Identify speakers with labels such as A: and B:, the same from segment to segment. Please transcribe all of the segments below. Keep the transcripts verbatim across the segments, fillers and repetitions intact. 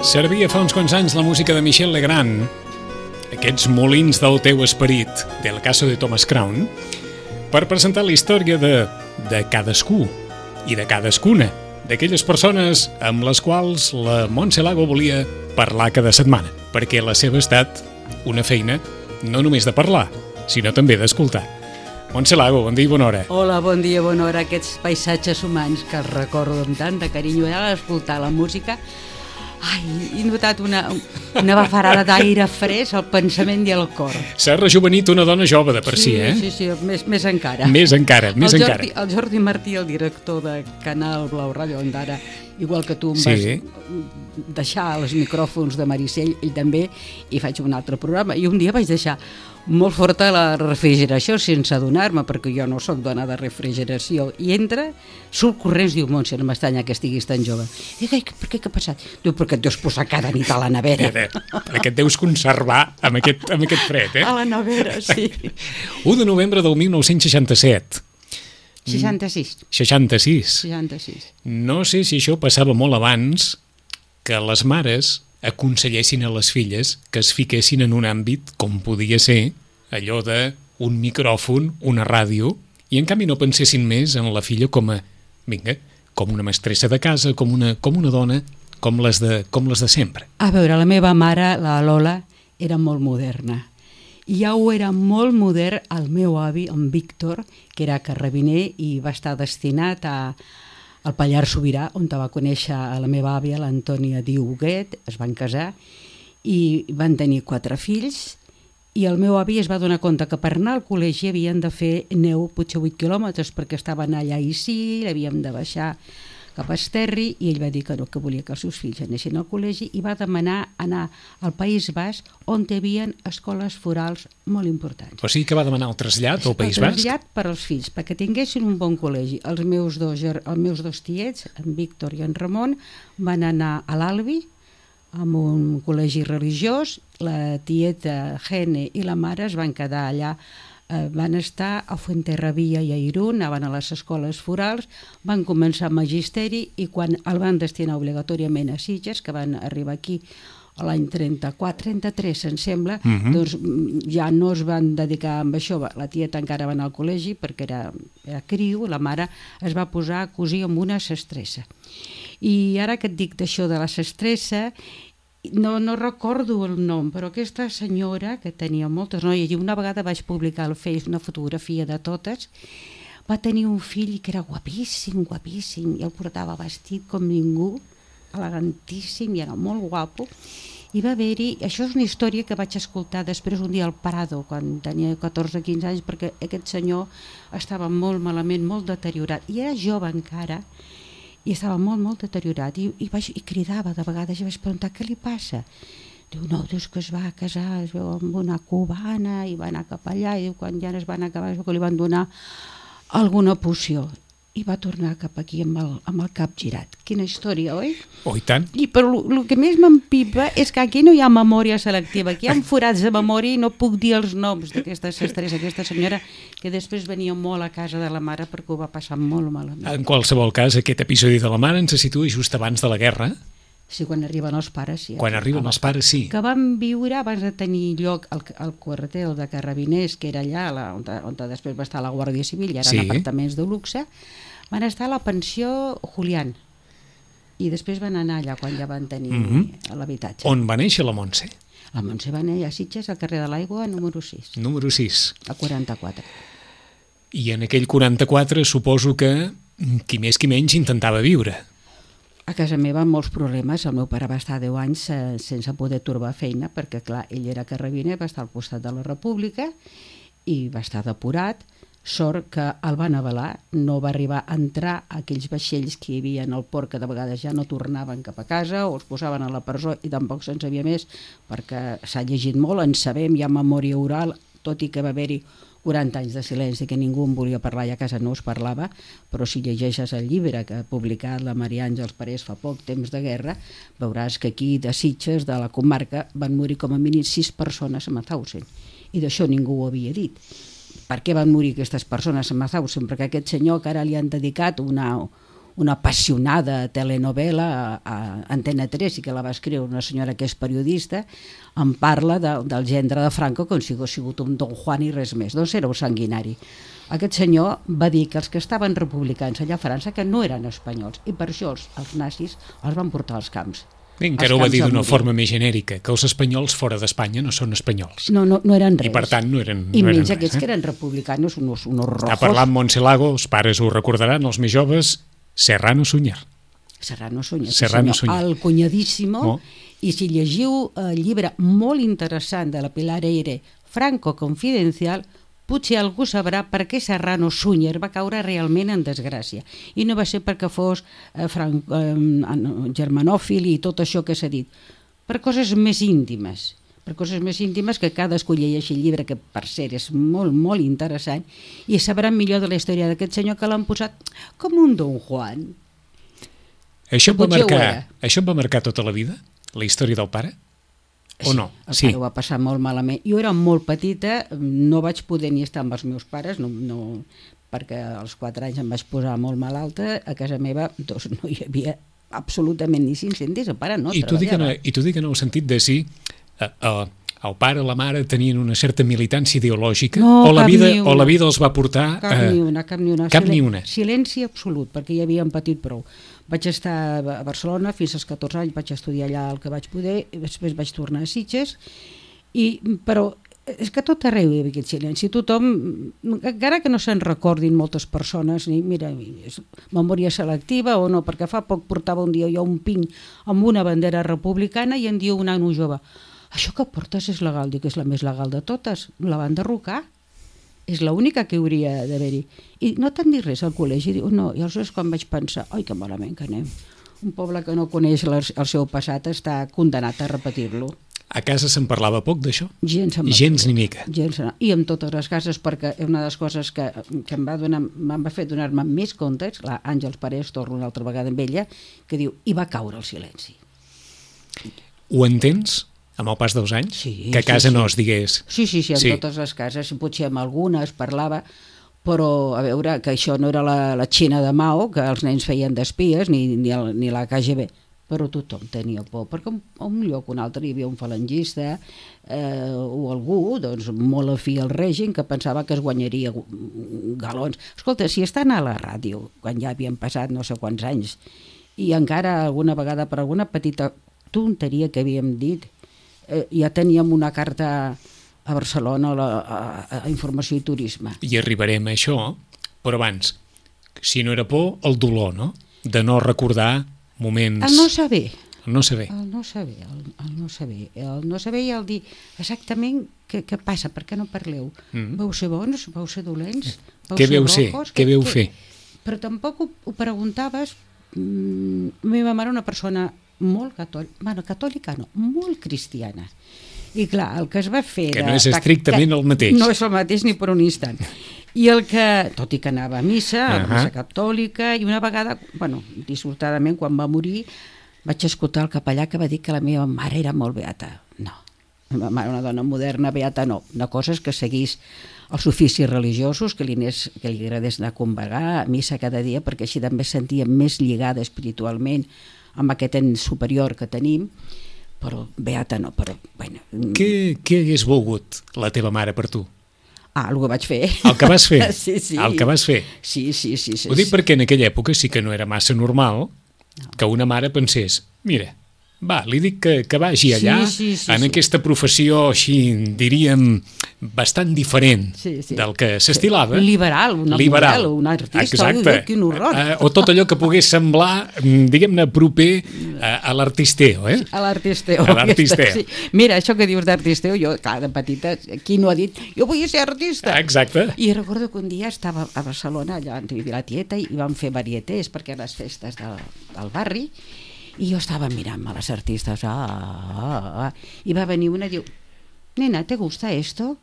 A: Servia fa uns quants anys la música de Michel Legrand, aquests molins del teu esperit, del caso de Thomas Crown, per presentar la història de, de cadascú i de cadascuna d'aquelles persones amb les quals la Montse Lago volia parlar cada setmana, perquè la seva ha estat una feina no només de parlar, sinó també d'escoltar. Montse Lago, bon dia i bona hora.
B: Hola, bon dia, bona hora. Aquests paisatges humans que els recordo amb tant de carinyo, ara escoltar la música, ai, he notat una, una bafarada d'aire fresc al pensament i al cor.
A: S'ha rejuvenit una dona jove de per si,
B: sí,
A: eh?
B: Sí, sí, més, més encara.
A: Més encara, més
B: el
A: encara.
B: Jordi, el Jordi Martí, el director de Canal Blau Ràdio Ondara, igual que tu em
A: Sí.
B: vas deixar els micròfons de Maricel, ell també, i faig un altre programa, i un dia vaig deixar molt forta la refrigeració sense adonar-me, perquè jo no sóc dona de refrigeració, i entra, surt corrents, diu, Montse, no m'estanya que estiguis tan jove. I dic, per què, què ha passat? Diu, perquè et deus posar cada nit a la nevera.
A: Perquè et deus conservar amb aquest, amb aquest fred, eh?
B: A la nevera, sí.
A: u de novembre del mil nou-cents seixanta-set.
B: seixanta-sis.
A: seixanta-sis.
B: seixanta-sis.
A: No sé si això passava molt abans que les mares aconsellessin a les filles que es fiquessin en un àmbit com podia ser allò de un micròfon, una ràdio, i en canvi no pensessin més en la filla com a, vinga, com una mestressa de casa, com una, com una dona, com les de, com les de sempre.
B: A veure, la meva mare, la Lola, era molt moderna. I ja ho era molt modern el meu avi, en Víctor, que era carrabiner i va estar destinat a, al Pallars Sobirà, on va conèixer a la meva àvia, l'Antònia Diuguet, es van casar i van tenir quatre fills, i el meu avi es va donar compte que per anar al col·legi havien de fer neu potser vuit quilòmetres perquè estaven allà i sí, l'havíem de baixar cap a Esterri, i ell va dir que no, que volia que els seus fills anessin al col·legi i va demanar anar al País Basc, on hi havia escoles forals molt importants.
A: O sigui que va demanar el trasllat al País
B: El
A: Basc?
B: trasllat per als fills, perquè tinguessin un bon col·legi. Els meus dos, els meus dos tiets, en Víctor i en Ramon, van anar a l'Albi, amb un col·legi religiós. La tieta Gene i la mare es van quedar allà, eh, van estar a Fuenterrabía i a Irún, anaven a les escoles forals, van començar magisteri, i quan el van destinar obligatòriament a Sitges, que van arribar aquí a l'any trenta-quatre trenta-tres, em sembla, uh -huh. doncs ja no es van dedicar amb això. La tieta encara va anar al col·legi perquè era, era criu, la mare es va posar a cosir amb una sestressa. I ara que et dic d'això de la sestressa, no, no recordo el nom, però aquesta senyora, que tenia moltes noies, i una vegada vaig publicar al Face una fotografia de totes, va tenir un fill que era guapíssim, guapíssim, i el portava vestit com ningú, elegantíssim, i era molt guapo. I va haver-hi, això és una història que vaig escoltar després un dia al Prado, quan tenia catorze quinze anys, perquè aquest senyor estava molt malament, molt deteriorat, i era jove encara, i estava molt, molt deteriorat, i, i, vaig, i cridava de vegades, i vaig preguntar què li passa. Diu, no, dius que es va casar, es veu amb una cubana, i va anar cap allà, i diu, quan ja es van acabar, es veu que li van donar alguna poció, i va tornar cap aquí amb el, amb el cap girat. Quina història, oi?
A: Oh, i tant.
B: I però el que més m'empipa és que aquí no hi ha memòria selectiva, aquí hi ha forats de memòria i no puc dir els noms d'aquesta sestressa, aquesta senyora, que després venia molt a casa de la mare perquè ho va passar molt malament.
A: En qualsevol cas, aquest episodi de la mare ens situa just abans de la guerra.
B: Sí, quan arriben els pares, sí.
A: Quan arriben els pares, sí.
B: Que van viure abans de tenir lloc el, el quartel de Carrabiners, que era allà, la, on, on després va estar la Guàrdia Civil, i eren
A: sí.
B: apartaments de luxe, van estar a la pensió Julián, i després van anar allà quan ja van tenir mm -hmm. l'habitatge.
A: On va néixer la Montse?
B: La Montse va néixer a Sitges, al carrer de l'Aigua, número sis.
A: Número sis.
B: A quaranta-quatre.
A: I en aquell quaranta-quatre suposo que qui més qui menys intentava viure.
B: A casa meva amb molts problemes. El meu pare va estar deu anys eh, sense poder trobar feina, perquè clar, ell era carrabiner, va estar al costat de la República i va estar depurat. Sort que el van avalar, no va arribar a entrar a aquells vaixells que hi havia en el port, que de vegades ja no tornaven cap a casa o els posaven a la presó, i tampoc se'n sabia més, perquè s'ha llegit molt, en sabem, hi ha memòria oral, tot i que va haver-hi quaranta anys de silenci, que ningú en volia parlar, i a casa no es parlava, però si llegeixes el llibre que ha publicat la Maria Àngels Parés fa poc, Temps de guerra, veuràs que aquí de Sitges, de la comarca, van morir com a mínim sis persones a Mauthausen, i d'això ningú ho havia dit. Per què van morir aquestes persones a Mauthausen? Perquè aquest senyor, que ara li han dedicat una, una apassionada telenovela a, a Antena tres, i que la va escriure una senyora que és periodista, en parla de, del gendre de Franco com si hagués sigut un Don Juan i res més. Doncs era un sanguinari. Aquest senyor va dir que els que estaven republicans allà a França que no eren espanyols, i per això els, els nazis els van portar als camps.
A: Bé, encara ho va dir d'una forma més genèrica, que els espanyols fora d'Espanya no són espanyols.
B: No, no, no eren res.
A: I per tant no eren,
B: I
A: no eren
B: menys
A: res,
B: aquests
A: eh?
B: que eren republicanos, unos, unos rojos.
A: Està parlant Montse Lago, els pares ho recordaran, els més joves, Serrano Suñer.
B: Serrano Suñer,
A: Serrano
B: sí senyor,
A: Suñer.
B: el cunyadíssimo,
A: Oh.
B: i si llegiu el llibre molt interessant de la Pilar Eire, Franco Confidencial, potser algú sabrà per què Serrano Suñer va caure realment en desgràcia. I no va ser perquè fos eh, fran... eh, germanòfil i tot això que s'ha dit, per coses més íntimes, per coses més íntimes que cadascú llegeixi el llibre, que per cert és molt, molt interessant, i sabran millor de la història d'aquest senyor, que l'han posat com un Don Juan.
A: Això va,
B: Potser ho
A: marcar,
B: era.
A: això va marcar tota la vida, la història del pare? O no?
B: El
A: Sí.
B: pare ho va passar molt malament. Jo era molt petita, no vaig poder ni estar amb els meus pares, no, no, perquè als quatre anys em vaig posar molt malalta. A casa meva doncs, no hi havia absolutament ni cinc-cents, el pare no
A: I t'ho dic, en,
B: treballava.
A: I t'ho dic en el sentit de si eh, eh, el pare o la mare tenien una certa militància ideològica,
B: No,
A: o, la
B: cap
A: vida,
B: ni una.
A: o la vida els va portar...
B: Cap
A: eh,
B: ni una, cap ni una.
A: cap
B: Silen-
A: ni una.
B: Silenci absolut, perquè ja havíem patit prou. Vaig estar a Barcelona fins als catorze anys, vaig estudiar allà el que vaig poder, i després vaig tornar a Sitges, i, però és que a tot arreu hi havia aquest silenci. Tothom, encara que no se'n recordin moltes persones, ni mira, és memòria selectiva o no, perquè fa poc portava un dia jo un pin amb una bandera republicana i em diu un nano jove: això que portes és legal? Dic, és la més legal de totes, la van derrocar. És l'única que hauria d'haver-hi. I no t'han dit res al col·legi? Diu, no. I aleshores quan vaig pensar, oi, que malament que anem. Un poble que no coneix el seu passat està condenat a repetir-lo.
A: A casa se'n parlava poc d'això?
B: Gens,
A: Gens ni mica.
B: Gens, I amb totes les cases, perquè una de les coses que, que em va, donar, em va fer donar-me més comptes, la Àngels Parés, torno una altra vegada amb ella, que diu, i va caure el silenci.
A: Ho entens, amb el pas dels anys?
B: Sí,
A: que a casa
B: sí, sí.
A: no es digués...
B: Sí, sí, sí, en
A: Sí.
B: totes les cases, potser amb alguna es parlava, però a veure, que això no era la, la Xina de Mao, que els nens feien d'espies, ni, ni, el, ni la K G B, però tothom tenia por, perquè a un lloc o un altre hi havia un falangista eh, o algú doncs, molt afí al règim que pensava que es guanyaria galons. Escolta, si estan a la ràdio, quan ja havien passat no sé quants anys, i encara alguna vegada per alguna petita tonteria que havíem dit, eh, ja teníem una carta a Barcelona a, la, a, a Informació i Turisme.
A: I arribarem a això, però abans, si no era por, el dolor, no? De no recordar moments...
B: El no saber.
A: El no saber.
B: El no saber, el, el no saber. El no saber i el dir exactament què, què passa, per què no parleu. Mm. Vau ser bons, vau ser dolents, vau
A: Què
B: ser
A: veu ser?
B: rojos,
A: Què veu fer?
B: Però tampoc ho, ho preguntaves. Mm, la meva mare una persona molt catòlica, bueno, catòlica no, molt cristiana. I clar, el que es va fer...
A: Que
B: de,
A: no és estrictament
B: de,
A: el mateix.
B: No és el mateix ni per un instant. I el que, tot i que anava a missa, a la
A: Uh-huh.
B: missa catòlica, i una vegada, bueno, dissortadament, quan va morir, vaig escoltar el capellà que va dir que la meva mare era molt beata. No, la meva mare, una dona moderna, beata, no. Una cosa és que seguís els oficis religiosos, que li, anés, que li agradés anar a convegar, a missa cada dia, perquè així també es sentia més lligada espiritualment amb aquest ens superior que tenim, però beata no, però... Bueno,
A: Què, què hagués volgut la teva mare per tu?
B: ah, el que vaig fer.
A: El que vas fer?
B: Sí, sí.
A: El que vas fer?
B: Sí, sí, sí. sí
A: Ho dic perquè en aquella època sí que no era massa normal que una mare pensés, mira, va, li dic que, que vagi allà
B: Sí, sí, sí,
A: en
B: sí.
A: aquesta professió així, diríem, bastant diferent
B: Sí, sí.
A: del que s'estilava.
B: Liberal, una
A: Liberal.
B: model, un artista,
A: Exacte.
B: ui, quin horror.
A: Eh, o tot allò que pogués semblar, mm, diguem-ne, proper a, a l'artisteo, eh?
B: A l'artisteo.
A: A l'artisteo.
B: Sí. Mira, això que dius d'artisteo, jo, clar, de petita, qui no ha dit, jo vull ser artista?
A: Exacte.
B: I recordo que un dia estava a Barcelona, allà on vivia la tieta, i vam fer varietés, perquè eren les festes del, del barri, i jo estava mirant-me les artistes, ah, ah, ah, i va venir una i diu, nena, ¿te gusta esto?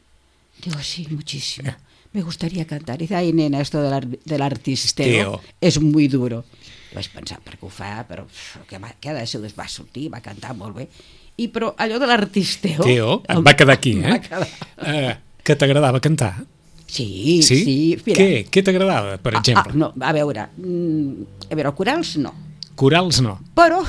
B: Digo, sí, muchísimo. Me gustaría cantar. Y dice, ay, nena, esto del, ar del artisteo
A: Esteo.
B: es muy duro. I vaig pensar, per què ho fa? Però què, va, què ha de ser? Es va sortir, va cantar molt bé. I però allò de l'artisteo...
A: Teo, et va quedar aquí,
B: em
A: eh?
B: va quedar.
A: eh que t'agradava cantar?
B: Sí,
A: sí.
B: sí. Mira.
A: Què? Què t'agradava, per exemple?
B: Ah, ah, no, a veure, mm, a veure, corals no.
A: Corals no.
B: Però,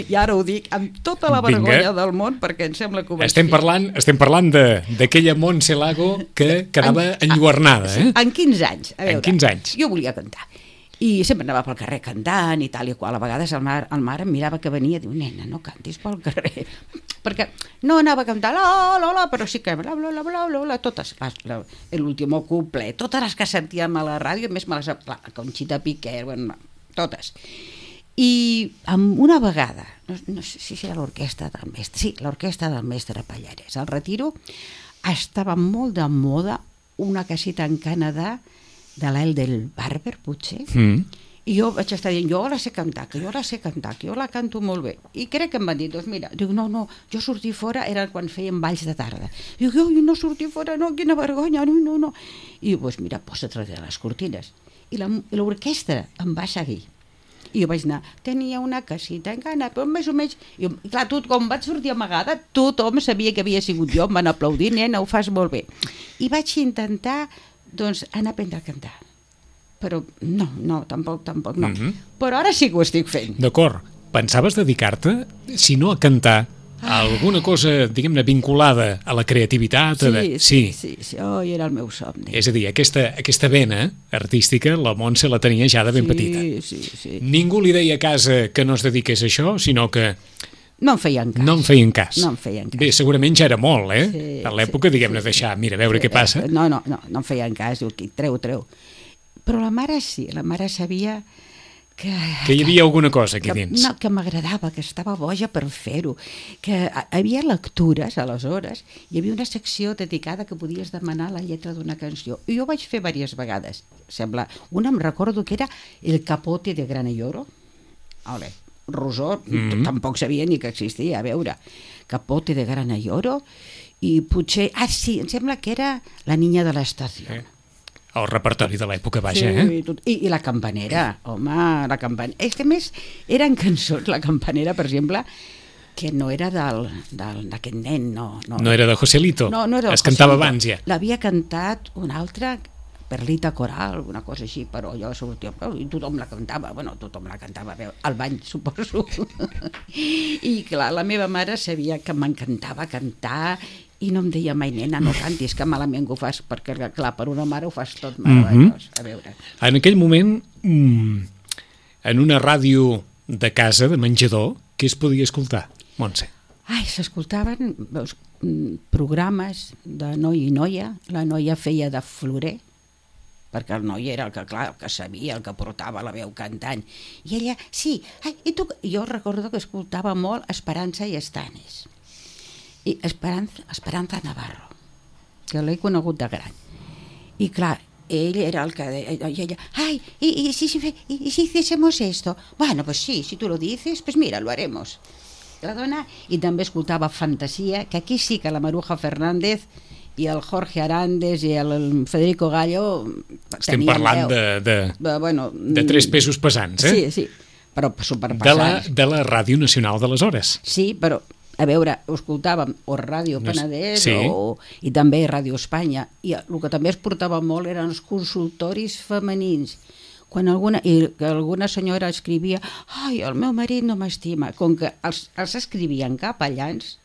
B: i ara ho dic amb tota la
A: Vinga.
B: vergonya del món, perquè em sembla que ho vaig
A: Estem
B: fer.
A: parlant, estem parlant de- d'aquella Montse Lago que quedava enlluernada, eh?
B: En quinze anys, a veure.
A: En quinze anys.
B: Jo volia cantar. I sempre anava pel carrer cantant i tal i qual. A vegades el mar, el mar em mirava que venia i diu, nena, no cantis pel carrer. Perquè no anava a cantar la, la, la, però sí que bla, bla, bla, bla, bla, bla, totes, l'últim couple, totes les que sentíem a la ràdio, a més me les, la Conxita Piquer, bueno, totes. I amb una vegada, no, no sé si era l'orquestra del mestre, sí, l'orquestra del mestre Pallares, al Retiro estava molt de moda una caseta en Canadà de l'El del Barber, potser,
A: Mm.
B: i jo vaig estar dient, jo la sé cantar, que jo la sé cantar, que jo la canto molt bé. I crec que em van dir, doncs mira, dic, no, no, jo sortir fora era quan feien balls de tarda. Dic, jo no sortir fora, no, quina vergonya, no, no, no. I diu, doncs mira, posa't darrere les cortines. I la- i l'orquestra em va seguir. I jo vaig anar, tenia una casita en Cana, però més o menys... I, clar, tot, com vaig sortir amagada, tothom sabia que havia sigut jo, em van aplaudir, nena, ho fas molt bé. I vaig intentar, doncs, anar a aprendre a cantar. Però no, no, tampoc, tampoc, no.
A: Mhm.
B: Però ara sí que ho estic fent.
A: D'acord. Pensaves dedicar-te, si no a cantar, a alguna cosa, diguem-ne, vinculada a la creativitat? a de-
B: Sí, sí, sí, sí. Oh, era el meu somni.
A: És a dir, aquesta, aquesta vena artística, la Montse la tenia ja de ben
B: sí,
A: petita.
B: Sí, sí.
A: Ningú li deia a casa que no es dediqués a això, sinó que
B: No em feien cas.
A: no en feien cas.
B: No em feien cas.
A: Bé, segurament ja era molt, eh?
B: Sí,
A: a l'època,
B: sí,
A: diguem-ne,
B: sí,
A: deixar, mira, a veure
B: Sí,
A: què passa.
B: eh, No, no, no, no em feien cas, diu, qui, treu, treu. Però la mare sí, la mare sabia que...
A: Que hi havia alguna cosa aquí
B: que,
A: dins.
B: no, que m'agradava, que estava boja per fer-ho, que hi havia lectures, aleshores, hi havia una secció dedicada que podies demanar la lletra d'una cançó. I jo vaig fer diverses vegades, sembla. Una em recordo que era El capote de grana y oro. Ole, Rosó,
A: Mhm.
B: tampoc sabia ni que existia, a veure. Capote de grana y oro, i potser... Ah, sí, em sembla que era La niña de l'estació.
A: Eh? El repertori de l'època, vaja,
B: Sí,
A: eh?
B: i, tot, i, i la campanera, home, la campanera. És que a més eren cançons, la campanera, per exemple, que no era del, del, d'aquest nen, no. No,
A: No era de Joselito,
B: no, no era
A: es
B: del
A: cantava
B: Joselito.
A: abans ja.
B: L'havia cantat un altre, Perlita Coral, una cosa així, però jo sortia, i tothom la cantava, bueno, tothom la cantava, a veure, al bany, suposo. I clar, la meva mare sabia que m'encantava cantar i no em deia mai, nena, no cantis, que malament que ho fas, perquè clar, per una mare ho fas tot meravellós, a veure.
A: En aquell moment, mm, en una ràdio de casa, de menjador, què es podia escoltar, Montse?
B: Ai, s'escoltaven veus, mm, programes de noi i noia, la noia feia de florer, perquè el noi era el que, clar, el que sabia, el que portava la veu cantant. I ella, sí, ai, i tu... Jo recordo que escoltava molt Esperança i Estanis. I Esperanza, Esperanza Navarro, que l'he conegut de gran. I clar, ell era el que deia, i ella, ay, y, y, si, si, y, y si hiciésemos esto, bueno, pues sí, si tú lo dices, pues mira, lo haremos. La dona, i també escoltava Fantasia, que aquí sí que la Maruja Fernández i el Jorge Arandes i el Federico Gallo
A: Estem
B: tenien
A: parlant
B: veu.
A: de, de,
B: de, bueno,
A: de tres pesos pesants, eh?
B: Sí, sí, però
A: de, la,
B: superpassats.
A: de la Ràdio Nacional d'aleshores.
B: Sí, però, a veure, ho escoltàvem o Ràdio Penedès
A: Sí.
B: o, i també Ràdio Espanya, i el que també es portava molt eren els consultoris femenins, quan alguna, i que alguna senyora escrivia, ai, el meu marit no m'estima, com que els, els escrivien capellans,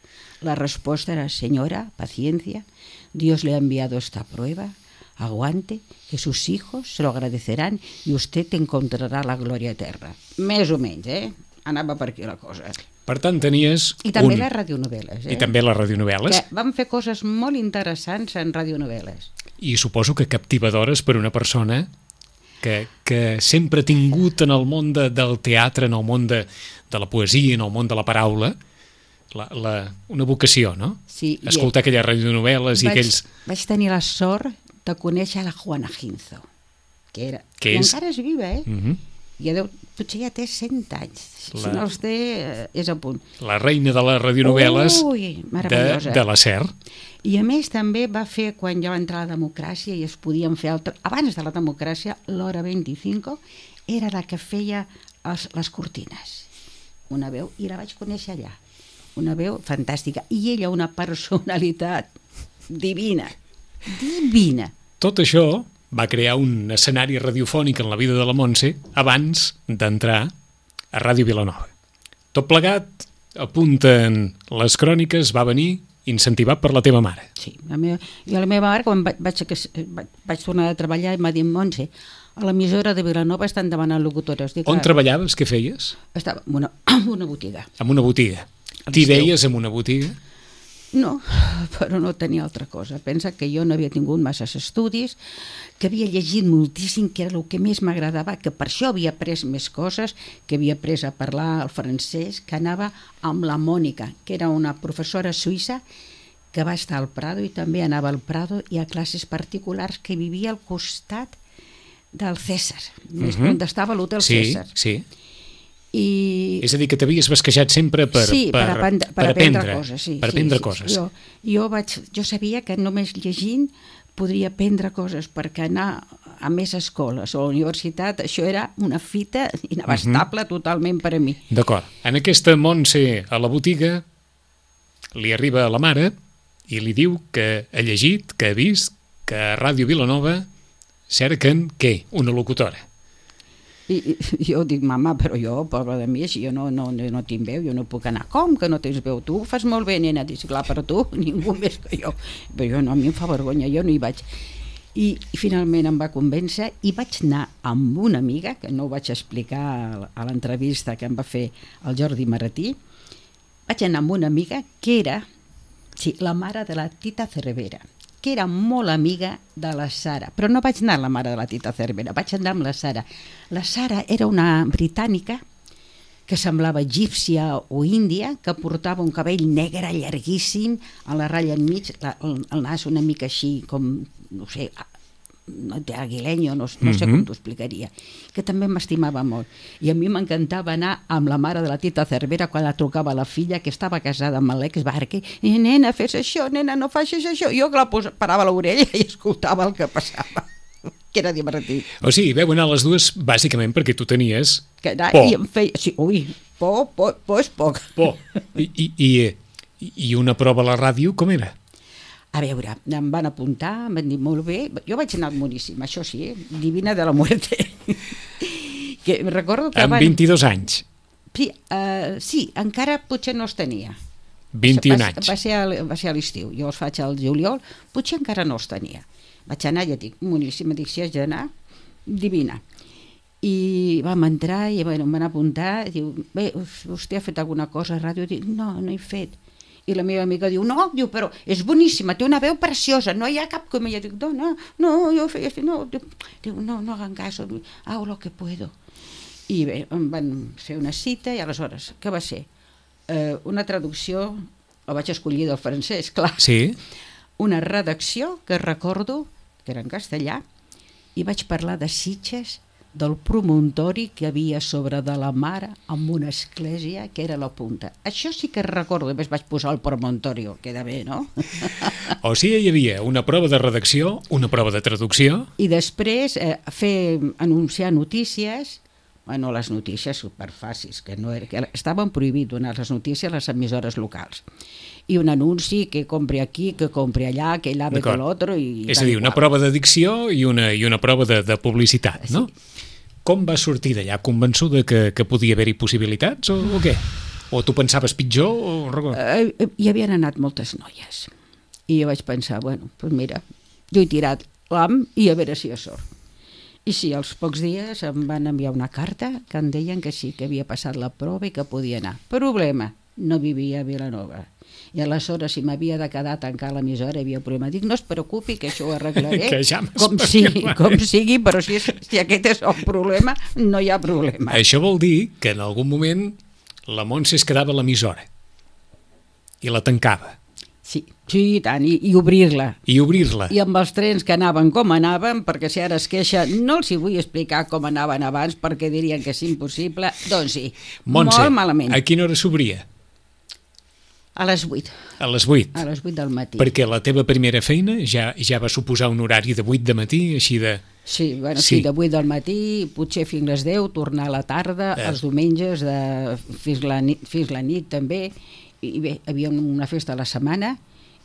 B: la resposta era, senyora, paciencia, Dios le ha enviado esta prueba, aguante, que sus hijos se lo agradecerán y usted encontrará la gloria eterna. Més o menys, eh? Anava per aquí la cosa.
A: Per tant, tenies
B: I també
A: un...
B: les radionovel·les, eh?
A: I també les radionovel·les.
B: Que vam fer coses molt interessants en radionovel·les.
A: I suposo que captivadores per una persona que, que sempre ha tingut en el món de, del teatre, en el món de, de la poesia, en el món de la paraula, la, la, una vocació, no?
B: Sí, i
A: Escoltar aquelles radionovel·les i
B: vaig,
A: aquells...
B: vaig tenir la sort de conèixer la Juana Ginzo, que era...
A: Que
B: I
A: és?
B: encara és viva, eh?
A: Mm -hmm.
B: Ja deu, potser ja té cent anys. La... Si
A: La-
B: no els té, eh, és a punt.
A: La reina de les radionovel·les
B: Ui,
A: de,
B: meravellosa.
A: de la SER.
B: I a més també va fer, quan ja va entrar la democràcia i es podien fer altres... Abans de la democràcia, l'Hora vint-i-cinc era la que feia els, les cortines. Una veu, i la vaig conèixer allà. Una veu fantàstica. I ella una personalitat divina, divina.
A: tot això va crear un escenari radiofònic en la vida de la Montse abans d'entrar a Ràdio Vilanova. Tot plegat, apunten les cròniques, va venir incentivat per la teva mare.
B: Sí, la meva, i la meva mare, quan vaig, vaig, vaig tornar a treballar, m'ha dit, Montse, a l'emissora de Vilanova estan demanant locutores. Dic,
A: On treballaves? Què feies?
B: Estava en una, en una botiga.
A: En una botiga. T'hi veies en una botiga?
B: No, però no tenia altra cosa. Pensa que jo no havia tingut masses estudis, que havia llegit moltíssim, que era el que més m'agradava, que per això havia après més coses, que havia après a parlar el francès, que anava amb la Mònica, que era una professora suïssa que va estar al Prado i també anava al Prado i a classes particulars, que vivia al costat del César, més uh-huh. on estava l'hotel
A: sí,
B: César.
A: Sí, sí.
B: I...
A: És a dir, que t'havies basquejat sempre per,
B: sí,
A: per,
B: per, aprendre, per,
A: per aprendre,
B: aprendre coses. Sí,
A: per
B: sí,
A: aprendre
B: sí.
A: coses.
B: Jo, jo, vaig, jo sabia que només llegint podria aprendre coses, perquè anar a més escoles o a la universitat, això era una fita inabastable uh-huh. totalment per a mi.
A: D'acord. En aquesta Montse a la botiga li arriba a la mare i li diu que ha llegit, que ha vist, que a Ràdio Vilanova cerquen, què? Una locutora.
B: I, i jo dic, mama, però jo, pobra de mi, si jo no, no, no tinc veu, jo no puc anar. Com que no tens veu? Tu ho fas molt bé, nena. Dic, clar, però tu, ningú més que jo. Però jo no, a mi em fa vergonya, jo no hi vaig. I, i finalment em va convèncer i vaig anar amb una amiga, que no ho vaig explicar a l'entrevista que em va fer el Jordi Maratí, vaig anar amb una amiga que era sí, la mare de la Tita Cervera, que era molt amiga de la Sara, però no vaig anar a la mare de la Tita Cervera, vaig anar amb la Sara. La Sara era una britànica que semblava egípcia o índia, que portava un cabell negre llarguíssim, a la ratlla enmig, la, el, el nas una mica així com, no sé, aguilenyo, no, no sé com t'ho explicaria, que també m'estimava molt. I a mi m'encantava anar amb la mare de la Tita Cervera quan la trucava la filla, que estava casada amb l'Alex Barque, i nena, fes això, nena, no facis això. Jo que la posa, parava a l'orella i escoltava el que passava, que era divertit.
A: O sigui, veu anar les dues bàsicament perquè tu tenies
B: que anar,
A: por.
B: I em feia, sí, ui, por, por, por és poc.
A: Por. I, i, i, I una prova a la ràdio, com era?
B: A veure, em van apuntar, em van dir molt bé, jo vaig anar boníssim, això sí, eh? Divina de la muerte. Que recordo que
A: amb
B: van...
A: vint-i-dos anys.
B: Sí, uh, sí, encara potser no els tenia.
A: vint-i-un
B: va,
A: anys.
B: Va ser, a, va ser a l'estiu, jo els faig al juliol, potser encara no els tenia. Vaig anar, ja dic, boníssim, dic, si has d'anar, divina. I vam entrar i bueno, em van apuntar, diu, bé, vostè ha fet alguna cosa a ràdio? Dic, no, no he fet. I la meva amiga diu, no, diu, però és boníssima, té una veu preciosa, no hi ha cap com ella. Dic, no, no, no, jo feia, no, diu, no, no hagan caso, hago lo que puedo. I bé, em van fer una cita i aleshores, què va ser? Eh, una traducció, la vaig escollir del francès, clar.
A: Sí.
B: Una redacció que recordo, que era en castellà, i vaig parlar de Sitges, del promontori que havia sobre de la mare amb una església que era la punta. Això sí que recordo, i més vaig posar el promontori, queda bé, no?
A: O sigui, hi havia una prova de redacció, una prova de traducció...
B: I després eh, fer, anunciar notícies, bueno, les notícies superfàcils, que, no era, que estaven prohibit donar les notícies a les emissores locals. I un anunci que compri aquí, que compri allà, que l'ave que l'altre...
A: És a dir, una prova de dicció i una, i una prova de, de publicitat, no? Sí. Com vas sortir d'allà? Convençuda que, que podia haver-hi possibilitats o, o què? O tu pensaves pitjor? O...
B: Eh, hi havien anat moltes noies. I jo vaig pensar, bueno, doncs mira, jo he tirat l'am i a veure si hi ha sort. I sí, als pocs dies em van enviar una carta que em deien que sí, que havia passat la prova i que podia anar. Problema, no vivia a Vilanova. I aleshores, si m'havia de quedar a tancar l'emissora, hi havia un problema. Dic, no es preocupi, que això ho arreglaré,
A: que ja
B: com, sigui, com sigui, però si, és, si aquest és el problema, no hi ha problema.
A: Això vol dir que en algun moment la Montse es quedava a l'emissora i la tancava.
B: Sí, sí, i tant, i, i obrir-la.
A: I obrir-la.
B: I amb els trens que anaven com anaven, perquè si ara es queixa, no els hi vull explicar com anaven abans, perquè dirien que és impossible, doncs sí,
A: Montse,
B: molt malament.
A: A quina hora s'obria?
B: A les vuit.
A: A les vuit?
B: A les vuit del matí.
A: Perquè la teva primera feina ja, ja va suposar un horari de vuit de matí, així de...
B: Sí, bueno, sí. sí, de vuit del matí, potser fins les deu, tornar a la tarda, eh. els diumenges, de, fins, la nit, fins la nit també, i bé, hi havia una festa a la setmana,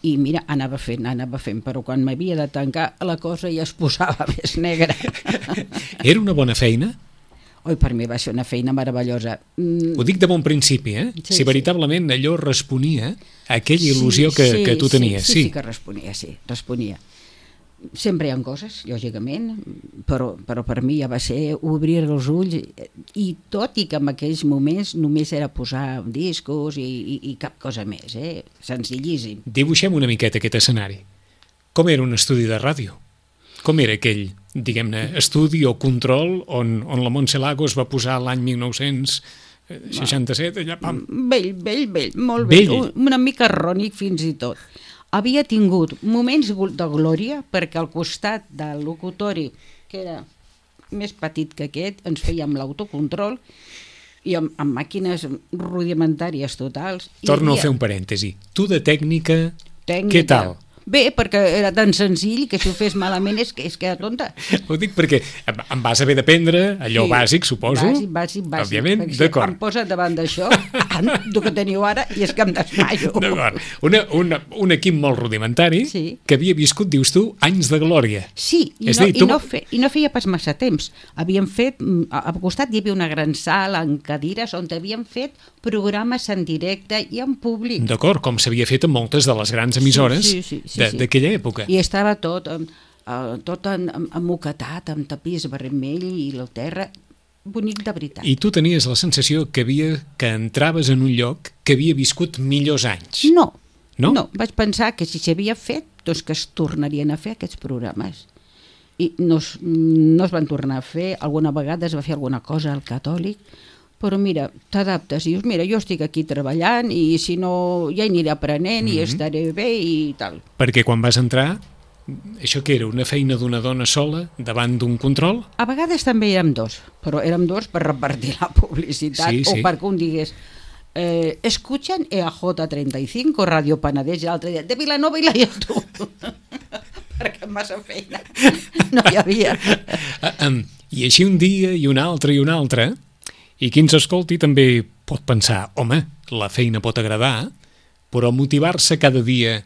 B: i mira, anava fent, anava fent, però quan m'havia de tancar la cosa ja es posava més negra.
A: Era una bona feina?
B: Oi, per mi va ser una feina meravellosa. Mm.
A: Ho dic de bon principi, eh?
B: Sí,
A: si veritablement
B: sí.
A: allò responia a aquella il·lusió sí, que,
B: sí,
A: que tu tenies.
B: Sí, sí, sí que responia, sí, responia. Sempre hi ha coses, lògicament, però, però per mi ja va ser obrir els ulls, i tot i que en aquells moments només era posar discos i, i, i cap cosa més, eh? Senzillíssim.
A: Dibuixem una miqueta aquest escenari. Com era un estudi de ràdio? Com era aquell, diguem-ne, estudi o control on, on la Montse Lagos va posar l'any mil nou-cents seixanta-set, allà, pam?
B: Vell, vell, vell, molt vell,
A: vell.
B: Una mica rònic fins i tot. Havia tingut moments de glòria perquè al costat del locutori, que era més petit que aquest, ens fèiem l'autocontrol i amb, amb màquines rudimentàries totals.
A: Torno havia... a fer un parèntesi. Tu de tècnica,
B: tècnica,
A: què tal?
B: Bé, perquè era tan senzill que si ho fes malament és que és que era tonta.
A: Ho dic perquè em vas haver d'aprendre allò sí, bàsic, suposo.
B: Bàsic, bàsic, bàsic.
A: Òbviament, d'acord.
B: Em posa davant d'això, el que teniu ara, i és que em desmaio.
A: D'acord. Una, una, un equip molt rudimentari sí. que havia viscut, dius tu, anys de glòria.
B: Sí, i, no, dir, tu... i, no, fe, i no feia pas massa temps. Havíem fet, al costat hi havia una gran sala amb cadires on havíem fet programes en directe i en públic.
A: D'acord, com s'havia fet en moltes de les grans emissores sí, sí, sí, sí, d'aquella sí. època.
B: I estava tot, uh, tot emmoquetat, amb tapís vermell i el terra, bonic de veritat.
A: I tu tenies la sensació que havia que entraves en un lloc que havia viscut millors anys.
B: No,
A: no,
B: no. Vaig pensar que si s'havia fet, doncs que es tornarien a fer aquests programes. I no es, no es van tornar a fer, alguna vegada es va fer alguna cosa al Catòlic, però mira, t'adaptes i dius, mira, jo estic aquí treballant i si no ja aniré aprenent mm-hmm. i estaré bé i tal.
A: Perquè quan vas entrar, això que era una feina d'una dona sola davant d'un control?
B: A vegades també érem dos, però érem dos per repartir la publicitat sí, sí. o perquè un digués eh, escuchan E A J treinta y cinco, Radio Penedès, i l'altre dia, de Vilanova i la Geltrú. Perquè massa feina no hi havia.
A: Uh, um, I així un dia i un altre i un altre. I qui ens escolti també pot pensar, home, la feina pot agradar, però motivar-se cada dia,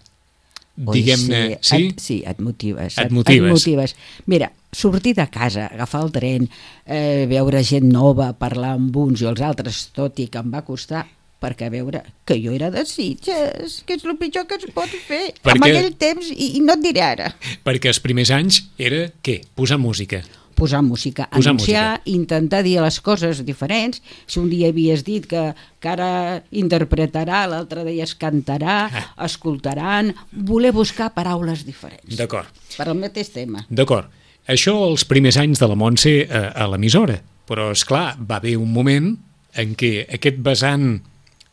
A: diguem-ne...
B: Sí, sí? Et, sí, et motives.
A: Et, et, motives.
B: et motives. Mira, sortir de casa, agafar el tren, eh, veure gent nova, parlar amb uns i els altres, tot i que em va costar, perquè a veure, que jo era de Sitges, que és el pitjor que es pot fer perquè... en aquell temps, i, i no et diré ara.
A: Perquè els primers anys era, què? Posar música.
B: Posar música,
A: Posar
B: anunciar,
A: música.
B: intentar dir les coses diferents. Si un dia havies dit que, que ara interpretarà, l'altre dia es cantarà, ah. escoltaran, voler buscar paraules diferents.
A: D'acord.
B: Per al mateix tema.
A: D'acord. Això els primers anys de la Montse a, a l'emissora, però és clar, va haver un moment en què aquest vessant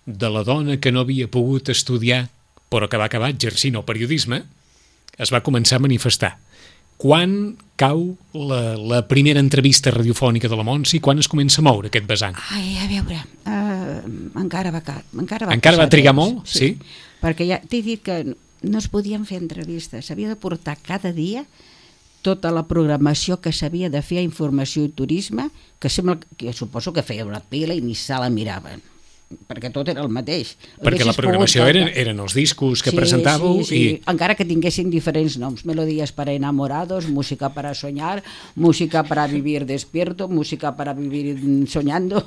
A: de la dona que no havia pogut estudiar, però que va acabar exercint el periodisme, es va començar a manifestar. Quan cau la, la primera entrevista radiofònica de la Montse i quan es comença a moure aquest vessant?
B: Ai, a veure, uh, encara va, encara va,
A: encara va trigar
B: temps,
A: molt? Sí. sí.
B: Perquè ja t'he dit que no es podien fer entrevistes, s'havia de portar cada dia tota la programació que s'havia de fer a Informació i Turisme, que sembla que suposo que feia una pila i ni se la miraven, perquè tot era el mateix.
A: Perquè la programació eren, eren els discos que
B: sí,
A: presentàveu.
B: Sí, sí. I... encara que tinguessin diferents noms, melodías para enamorados, música para soñar, música para vivir despierto, música para vivir soñando,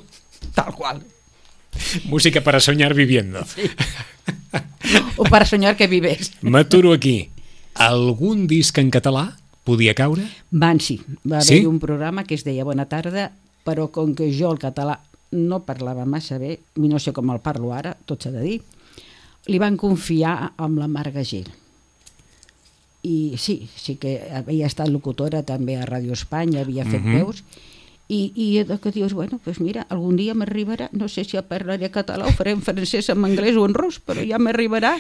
B: tal qual.
A: Música para soñar viviendo.
B: Sí. O para soñar que vives.
A: M'aturo aquí. Algun disc en català podia caure?
B: Van, sí. Va haver-hi sí? un programa que es deia Bona tarda, però com que jo el català no parlava massa bé, i no sé com el parlo ara, tot s'ha de dir, li van confiar amb la Marga Gil. I sí, sí que havia estat locutora també a Ràdio Espanya, havia fet uh-huh. veus, i, i que dius, bueno, pues mira, algun dia m'arribarà, no sé si parlaré català o faré en francès, en anglès o en rus, però ja m'arribarà.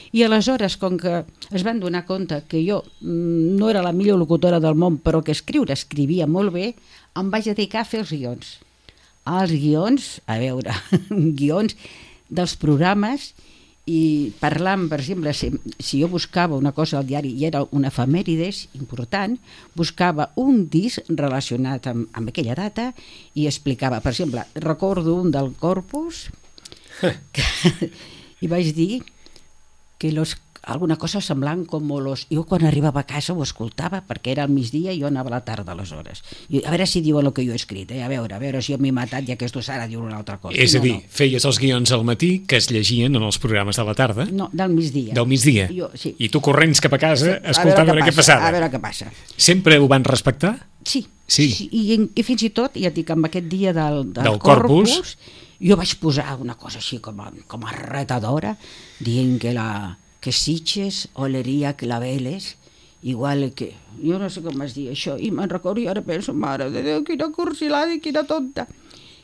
B: I aleshores, com que es van donar compte que jo no era la millor locutora del món, però que escriure escrivia molt bé, em vaig dedicar a fer els guions. Els guions, a veure, guions dels programes, i parlant, per exemple, si, si jo buscava una cosa al diari i era una efemèrides important, buscava un disc relacionat amb, amb aquella data i explicava, per exemple, recordo un del Corpus que, i vaig dir que los, alguna cosa semblant com los... Jo quan arribava a casa ho escoltava perquè era al migdia i jo anava a la tarda aleshores. I a veure si diuen el que jo he escrit, eh? a veure, a veure si jo m'he matat i aquestos ara diuen una altra cosa.
A: És a
B: no,
A: dir,
B: no.
A: feies els guions al matí que es llegien en els programes de la tarda?
B: No, del migdia.
A: Del migdia?
B: Jo, sí.
A: I tu corrents cap a casa
B: Sí,
A: escoltant a veure, què passava?
B: A veure què passa.
A: Sempre ho van respectar?
B: Sí,
A: Sí.
B: sí. I, i fins i tot, ja et dic, amb aquest dia del, del,
A: Del Corpus,
B: Corpus, jo vaig posar una cosa així com a, com a retadora, dient que la que Sitges oleria claveles, igual que... Jo no sé com es diu això, i me'n recordo i ara penso, mare de Déu, quina cursilada i quina tonta,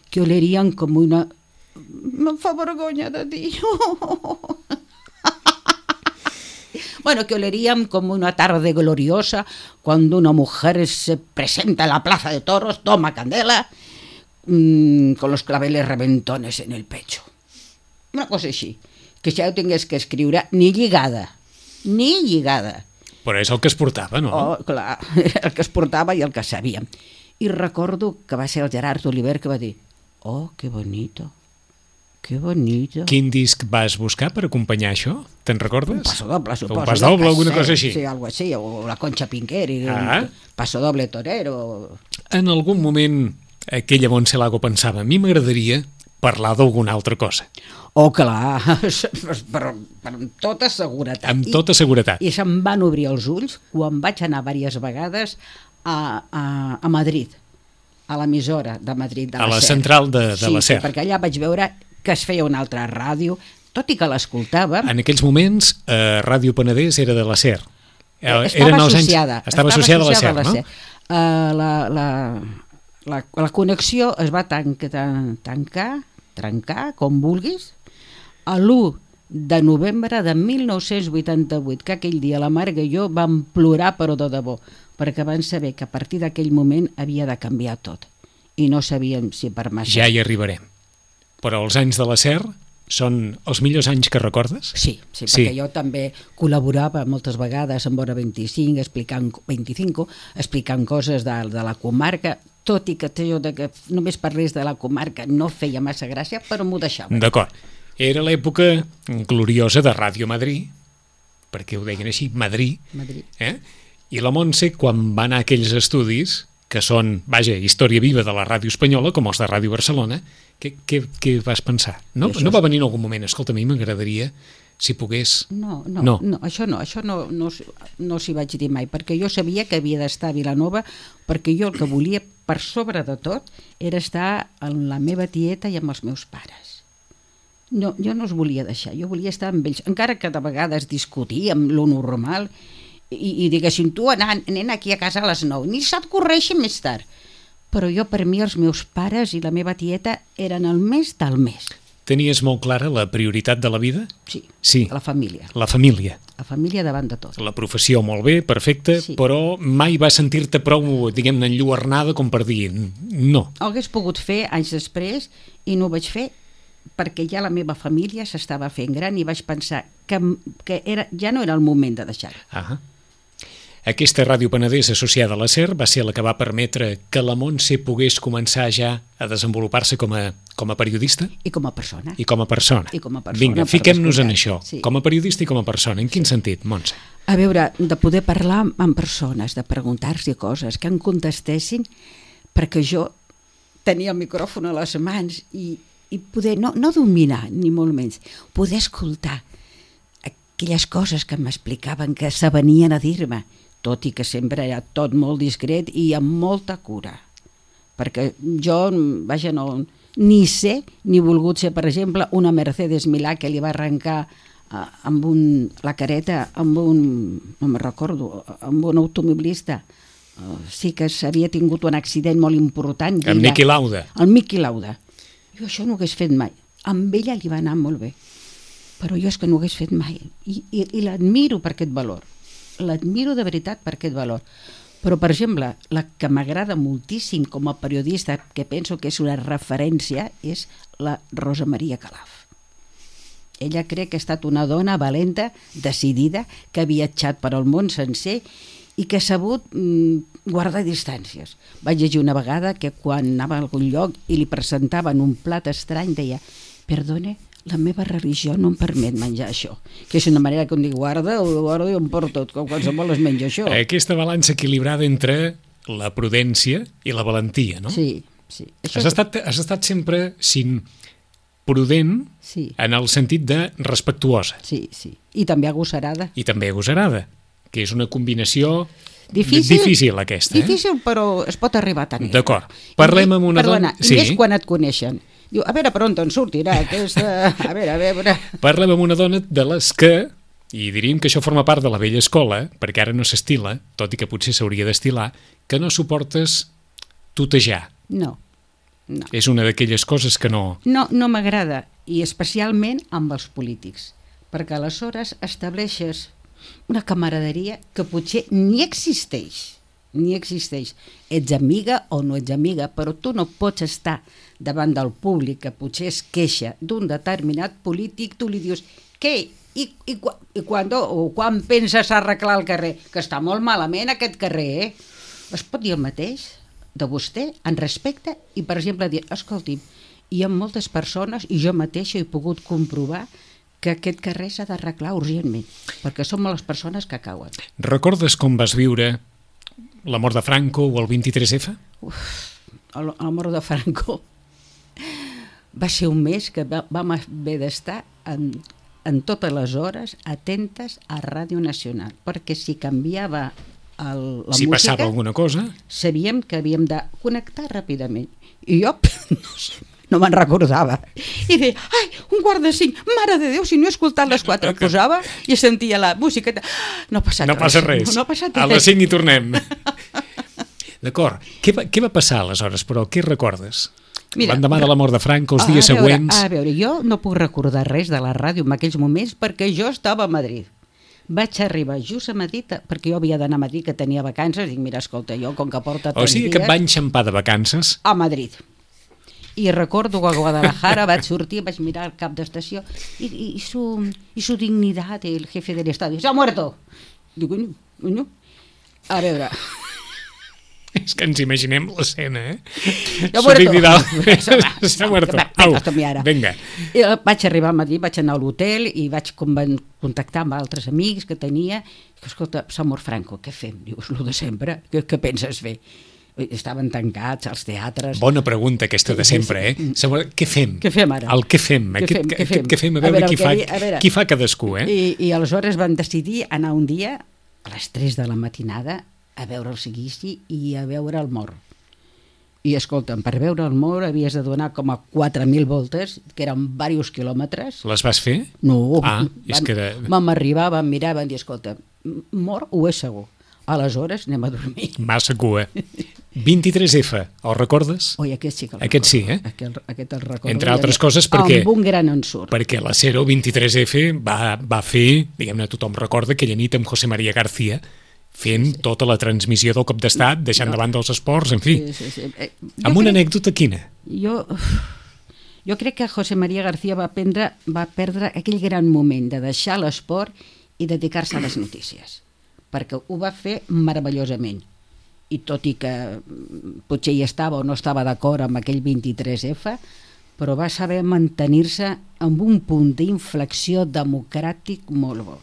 B: que olerien com una... Me'n fa vergonya de dir. Bueno, que olerían como una tarde gloriosa cuando una mujer se presenta en la plaza de toros, toma candela, mmm, con los claveles reventones en el pecho. Una cosa així, que ja ho tingués que escriure ni lligada, ni lligada.
A: Però és el que es portava, no?
B: Oh, clar, el que es portava i el que sabíem. I recordo que va ser el Gerard Oliver que va dir, oh, que bonito. Que bonito.
A: Quin disc vas buscar per acompanyar això? Te'n recordes?
B: Un paso doble, suposo.
A: Un pas doble, alguna cosa així.
B: Sí, algo així, o la Concha Pinquer, i
A: Ah.
B: un paso doble torero.
A: En algun moment aquella Montse Lago pensava, a mi m'agradaria parlar d'alguna altra cosa.
B: Oh, clar, però, però amb tota seguretat.
A: Amb tota seguretat.
B: I, i se'm van obrir els ulls quan vaig anar diverses vegades a, a, a Madrid, a l'emissora de Madrid, de
A: A
B: la
A: la
B: SER.
A: central de, de
B: sí,
A: la SER.
B: Sí, perquè allà vaig veure que es feia una altra ràdio, tot i que l'escoltava.
A: En aquells moments, eh, Ràdio Penedès era de la SER. Eh,
B: Estava
A: eren els
B: associada.
A: Anys, estava associada a la SER, no?
B: Uh, la, la, la, la connexió es va tancar, tancar, trencar, com vulguis, a l'u de novembre de mil nou-cents vuitanta-vuit, que aquell dia la Marga i jo vam plorar però de debò, perquè van saber que a partir d'aquell moment havia de canviar tot i no sabíem si per massa.
A: Ja hi arribarem. Però els anys de la SER són els millors anys que recordes?
B: Sí, sí,
A: Sí.
B: perquè jo també col·laborava moltes vegades amb Hora vint-i-cinc, explicant, vint-i-cinc, explicant coses de, de la comarca, tot i que jo de que només parlés de la comarca no feia massa gràcia, però m'ho deixava.
A: D'acord. Era l'època gloriosa de Ràdio Madrid, perquè ho deien així, Madrid,
B: Madrid.
A: eh? I la Montse, quan va anar a aquells estudis, que són, vaja, història viva de la ràdio espanyola, com els de Ràdio Barcelona, què, què, què vas pensar? No, no va venir en algun moment, escolta, a mi m'agradaria, si pogués...
B: No, no,
A: no.
B: no això no, això no, no, no s'hi vaig dir mai, perquè jo sabia que havia d'estar a Vilanova, perquè jo el que volia, per sobre de tot, era estar amb la meva tieta i amb els meus pares. No, jo no els volia deixar, jo volia estar amb ells, encara que de vegades discutíem lo normal, i, i diguessin, tu anant, nen aquí a casa a les nou, ni se't correixi més tard. Però jo, per mi, els meus pares i la meva tieta eren el més del mes.
A: Tenies molt clara la prioritat de la vida?
B: Sí,
A: Sí.
B: la família.
A: La família.
B: La família davant de tot.
A: La professió molt bé, perfecte,
B: Sí.
A: però mai vas sentir-te prou, diguem-ne, enlluernada com per dir no.
B: Ho hagués pogut fer anys després i no ho vaig fer perquè ja la meva família s'estava fent gran i vaig pensar que, que era, ja no era el moment de deixar-ho.
A: Ah. Aquesta Ràdio Penedès associada a la SER va ser la que va permetre que la Montse pogués començar ja a desenvolupar-se com a, com a periodista
B: I com a persona.
A: i com a persona.
B: I com a persona,
A: Vinga,
B: per
A: fiquem-nos en
B: descomptat,
A: això,
B: sí.
A: com a periodista i com a persona. En quin sentit, Montse?
B: A veure, de poder parlar amb persones, de preguntar-se coses, que em contestessin, perquè jo tenia el micròfon a les mans i, i poder, no, no dominar, ni molt menys, poder escoltar aquelles coses que m'explicaven, que s'avenien a dir-me, tot i que sempre era tot molt discret i amb molta cura. Perquè jo, vaja, no, ni sé, ni volgut ser, per exemple, una Mercedes Milà que li va arrencar uh, amb un, la careta amb un, no me'n recordo, amb un automobilista. Uh, sí que s'havia tingut un accident molt important.
A: Amb Niki Lauda.
B: El Niki Lauda. Jo això no ho hagués fet mai. Amb ella li va anar molt bé. Però jo és que no ho hagués fet mai. I, i, i l'admiro per aquest valor. L'admiro de veritat per aquest valor. Però, per exemple, la que m'agrada moltíssim com a periodista, que penso que és una referència, és la Rosa Maria Calaf. Ella crec que ha estat una dona valenta, decidida, que ha viatjat per al món sencer i que ha sabut mm, guardar distàncies. Vaig llegir una vegada que quan anava a algun lloc i li presentaven un plat estrany deia «Perdone, la meva religió no em permet menjar això, que és una manera que em diu guarda, o guarda i em porto tot, com qualsevol es menja això.
A: Aquesta balança equilibrada entre la prudència i la valentia, no?
B: Sí, sí. Això
A: Has estat, has estat sempre sin prudent
B: sí.
A: en el sentit de respectuosa.
B: Sí, sí. I també agosarada.
A: I també agosarada, que és una combinació
B: difícil,
A: difícil aquesta.
B: Difícil, eh? Però es pot arribar a tenir.
A: D'acord. Parlem amb una
B: Perdona,
A: dona... Sí.
B: I més quan et coneixen. Diu, a veure per on te'n sortirà aquesta... A veure, a veure...
A: Parlem amb una dona de les que, i diríem que això forma part de la vella escola, perquè ara no s'estila, tot i que potser s'hauria d'estilar, que no suportes tutejar.
B: No, no.
A: És una d'aquelles coses que no...
B: No, no m'agrada, i especialment amb els polítics, perquè aleshores estableixes una camaraderia que potser ni existeix, ni existeix. Ets amiga o no ets amiga, però tu no pots estar davant del públic que potser es queixa d'un determinat polític, tu li dius, què? I, i, i quan, o quan penses arreglar el carrer? Que està molt malament aquest carrer, eh? Es pot dir el mateix de vostè, en respecte, i per exemple dir, escolti'm, hi ha moltes persones, i jo mateixa he pogut comprovar que aquest carrer s'ha d'arreglar urgentment, perquè som les persones que cauen.
A: Recordes com vas viure la mort de Franco o el vint-i-tres efa?
B: Uf, el, el mort de Franco va ser un mes que vam haver d'estar en, en totes les hores atentes a Ràdio Nacional, perquè si canviava el, la
A: si
B: música... Si
A: passava alguna cosa...
B: Sabíem que havíem de connectar ràpidament. I jo no, no me'n recordava. I deia, ai, un quart de cinc, mare de Déu, si no he escoltat les quatre. Posava i sentia la música. No ha passat
A: no
B: res.
A: Passa res.
B: No, no ha passat res.
A: A les cinc hi tornem. D'acord. Què, va, què va passar aleshores, però? Què recordes? Mira, l'endemà de la mort de Franco, els dies
B: a veure,
A: següents...
B: A veure, jo no puc recordar res de la ràdio en aquells moments perquè jo estava a Madrid. Vaig arribar just a Madrid, perquè jo havia d'anar a Madrid, que tenia vacances, i dic, mira, escolta, jo com que porta tants dies...
A: O sigui que et va enxampar de vacances?
B: A Madrid. I recordo que a Guadalajara vaig sortir, vaig mirar el cap d'estació i, i, i, su, i su dignidad, el jefe del estado, s'ha muerto. Dic, coño, coño. A veure...
A: És que ens imaginem l'escena, eh?
B: S'ha muerto.
A: S'ha muerto. Au, vinga.
B: I vaig arribar a Madrid, vaig anar a l'hotel i vaig contactar amb altres amics que tenia. Escolta, s'ha mort Franco, què fem? Dius, lo de sempre, què, què penses fer? Estaven tancats als teatres.
A: Bona pregunta aquesta de sempre, eh? Què fem?
B: Què fem ara?
A: El què fem?
B: Què fem?
A: Què fem? Què fem? A veure, qui, fa, qui fa cadascú, eh?
B: I, I aleshores van decidir anar un dia a les tres de la matinada a veure el seguici i a veure el mort. I escolta'm, per veure el mort havies de donar com a quatre mil voltes, que eren diversos quilòmetres.
A: Les vas fer?
B: No.
A: Ah,
B: van,
A: és que... De...
B: Vam arribar, vam mirar, vam dir, escolta, mort ho és segur. Aleshores anem a dormir.
A: Massa cua. vint-i-tres efa, el recordes?
B: Oi, aquest sí que el
A: Aquest sí, eh?
B: Aquest, aquest el recordo.
A: Entre altres coses perquè...
B: Amb un gran ensurt.
A: Perquè la Cero vint-i-tres efa va, va fer, diguem-ne, tothom recorda, aquella nit amb José María García, fent sí, sí. tota la transmissió del cop d'estat, deixant no. davant dels esports, en fi. Sí, sí, sí. Eh, amb una crec, anècdota quina?
B: Jo, jo crec que José María García va, prendre, va perdre aquell gran moment de deixar l'esport i dedicar-se a les notícies, perquè ho va fer meravellosament. I tot i que potser hi estava o no estava d'acord amb aquell vint-i-tres efa, però va saber mantenir-se amb un punt d'inflexió democràtic molt bo.